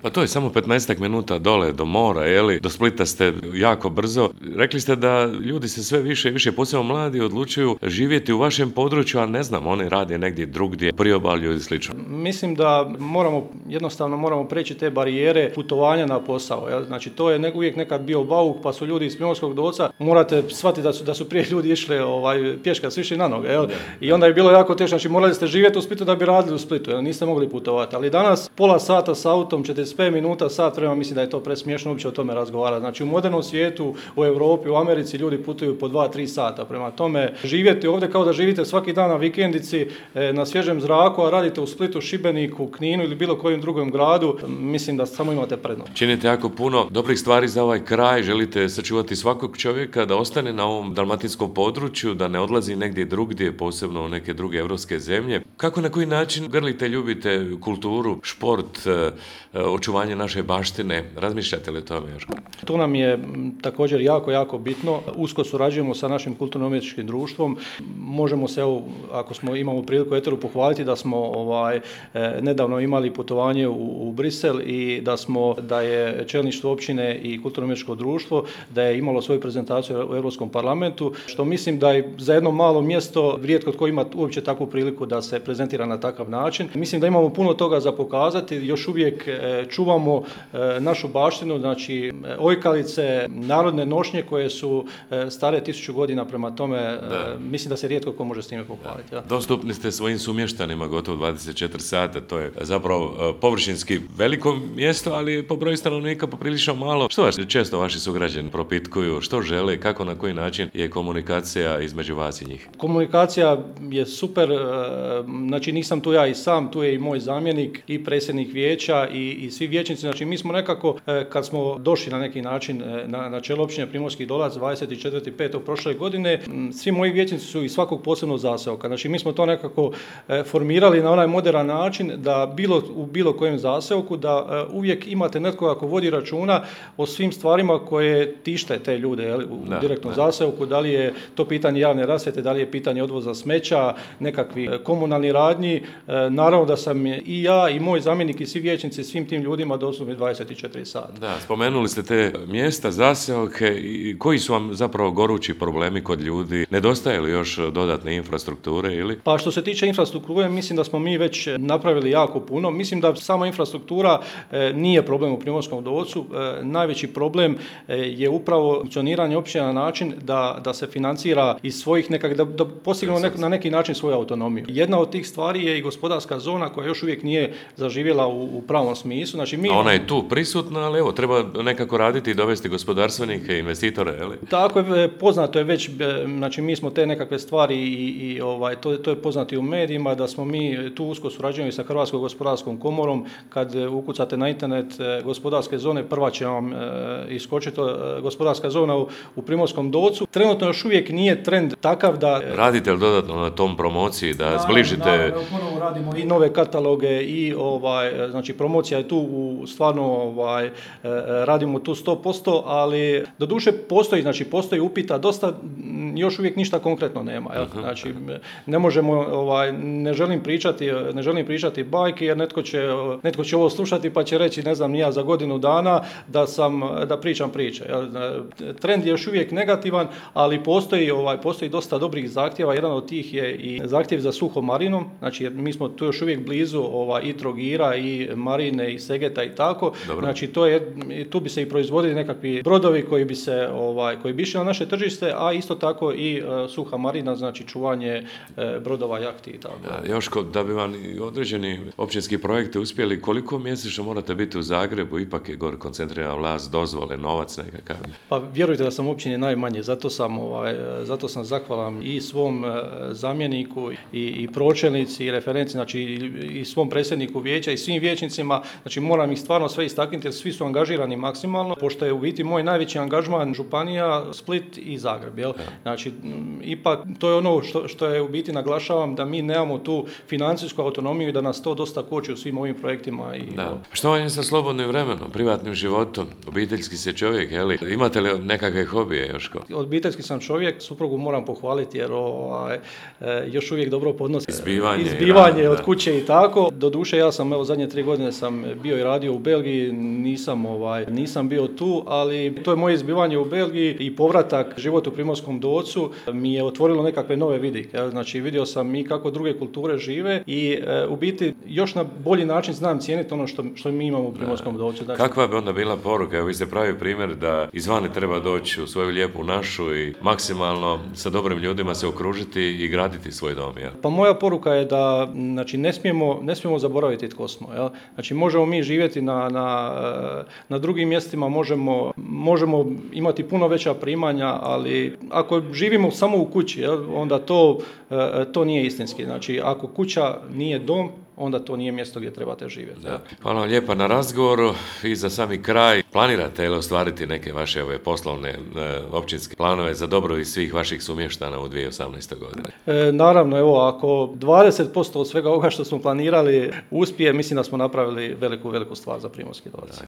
Pa to je samo 15 minuta dole do mora, do Splita ste jako brzo. Rekli ste da ljudi se sve više i više, posebno mladi, odlučuju živjeti u vašem području, a ne znam, oni rade negdje drugdje, priobalju i slično. Mislim da jednostavno moramo preći te barijere putovanja na posao. Znači to je uvijek nekad bio bauk, pa su ljudi iz Primorskog Dolca, morate shvatiti da su prije ljudi išli pješke, su išli na noge. I onda je bilo jako teško, znači morali ste živjeti u Splitu da bi radili u Splitu, niste mogli putovati. Ali danas pola sata s autom, 45 minuta, sat vremena, mislim da je to presmiješno uopće o tome razgovarati. Znači u modernom svijetu, u Europi, u Americi ljudi putuju po 2-3 sata. Prema tome, živjeti ovdje kao da živite svaki dan na vikendici, na svježem zraku, a radite u Splitu, Šibeniku, Kninu ili bilo kojem drugom gradu, mislim da samo imate prednost. Činite jako puno dobrih stvari za ovaj kraj, želite sačuvati svakog čovjeka da ostane na ovom dalmatinskom području, da ne odlazi negdje drugdje, posebno u neke druge europske zemlje. Kako, na koji način grlite, ljubite kulturu, šport, očuvanje naše baštine? Razmišljate li o tome još? To nam je također jako bitno. Usko surađujemo sa našim kulturno-umjetničkim društvom. Možemo se, ako imamo priliku eteru, pohvaliti da smo nedavno imali putovanje u Brisel i da je čelništvo općine i kulturno-umjetničko društvo da je imalo svoju prezentaciju u Europskom parlamentu, što mislim da je za jedno malo mjesto rijetko tko ima uopće takvu priliku da se prezentira na takav način. Mislim da imamo puno toga za pokazati, još uvijek čuvamo našu baštinu, znači ojkalice, narodne nošnje koje su stare 1000 godina, prema tome mislim da se rijetko ko može s time pohvaliti. Ja. Dostupni ste svojim sumještanima gotovo 24 sata, to je zapravo površinski veliko mjesto, ali po broju stanovnika poprilično malo. Što često vaši sugrađani propitkuju, što žele, kako, na koji način je komunikacija između vas i njih? Komunikacija je super, znači nisam tu ja i sam, tu je i moj zamjenik i predsjednik vijeća i svi vijećnici. Znači mi smo nekako, kad smo došli na neki način na čelo općine Primorski Dolac 24.5. prošle godine, svi moji vijećnici su iz svakog posebnog zaseoka. Znači mi smo to nekako formirali na onaj moderan način da u bilo kojem zaseoku da uvijek imate netko ako vodi računa o svim stvarima koje tište te ljude u direktnom zaseoku, da li je to pitanje javne rasvjete, da li je pitanje odvoza smeća, nekakvi komunalni radnji. Naravno da sam i ja i moj zamjenik i svi vijećnici svim tim ljudima dostupni 24 sata. Da, spomenuli ste te mjesta, zaseoke, i koji su vam zapravo gorući problemi kod ljudi? Nedostaje li još dodatne infrastrukture ili? Pa što se tiče infrastrukture, mislim da smo mi već napravili jako puno. Mislim da sama infrastruktura nije problem u Primorskom Dolcu. Najveći problem je upravo funkcioniranje općine na način da se financira iz svojih da postignemo na neki način svoju autonomiju. Jedna od tih stvari je i gospodarska zona koja još uvijek nije zaživjela u pravom smislu. Znači, ona je tu prisutna, ali treba nekako raditi i dovesti gospodarstvenike, investitore, ali? Tako je, poznato je već, znači mi smo te nekakve stvari i to je poznato i u medijima, da smo mi tu usko surađujemo i sa Hrvatskom gospodarskom komorom. Kad ukucate na internet gospodarske zone, prva će vam iskočiti gospodarska zona u Primorskom Dolcu. Trenutno još uvijek nije trend takav da... Radite li dodatno na tom promociji, da zbližite... Ponovo radimo i nove kataloge i znači promocija je tu stvarno radimo tu 100%, ali doduše postoji upita dosta, još uvijek ništa konkretno nema. Znači ne možemo, ne želim pričati bajke jer netko će ovo slušati pa će reći, ne znam ni ja, za godinu dana da pričam priče. Trend je još uvijek negativan, ali postoji dosta dobrih zahtjeva. Jedan od tih je i zahtjev za suhom marinom, znači jer mi smo tu još uvijek blizu i Trogira i Marine i Segeta i tako. Dobro. Znači tu bi se i proizvodili nekakvi brodovi koji bi išli na naše tržište, a isto tako i suha marina, znači čuvanje brodova, jahti i tako. Joško, da bi vam određeni općinski projekti uspjeli, koliko mjesečno morate biti u Zagrebu? Ipak je gore koncentrirana vlast, dozvole, novac nekakav. Pa vjerujte da sam u općini najmanje, zato sam zahvalan i svom zamjeniku i pročelnici i referenci, znači i svom predsjedniku vijeća i svim vijećnicima. Znači moram ih stvarno sve istaknuti jer svi su angažirani maksimalno, pošto je u biti moj najveći angažman županija, Split i Zagreb. Jel? Znači ipak to je ono što je u biti naglašavam, da mi nemamo tu financijsku autonomiju i da nas to dosta koči u svim ovim projektima. Što vam je sa slobodnim vremenom, privatnim životom? Obiteljski ste čovjek, je li? Imate li nekakve hobije, Joško? Obiteljski sam čovjek, suprugu moram pohvaliti jer još uvijek dobro podnosi izbivanje od kuće i tako. Doduše ja sam zadnje 3 godine sam bio i radio u Belgiji, nisam bio tu, ali to je moje izbivanje u Belgiji i povratak život u Primorskom Docu mi je otvorilo nekakve nove vidike. Znači vidio sam i kako druge kulture žive i u biti još na bolji način znam cijeniti ono što mi imamo u Primorskom Docu. Znači, kakva bi onda bila poruka? Evo, vi ste pravi primjer da izvani treba doći u svoju lijepu našu i maksimalno sa dobrim ljudima se okružiti i graditi svoj dom. Jel? Pa moja poruka je da znači, ne smijemo zaboraviti tko smo. Jel? Znači možemo mi živjeti na drugim mjestima, možemo imati puno veća primanja, ali ako živimo samo u kući, jel, onda to nije istinski. Znači ako kuća nije dom, onda to nije mjesto gdje trebate živjeti. Da. Hvala vam lijepa na razgovoru i za sami kraj. Planirate li ostvariti neke vaše poslovne općinske planove za dobrobit svih vaših sumještana u 2018. godine? Naravno, evo, ako 20% od svega ovoga što smo planirali uspije, mislim da smo napravili veliku stvar za Primorski Dodac.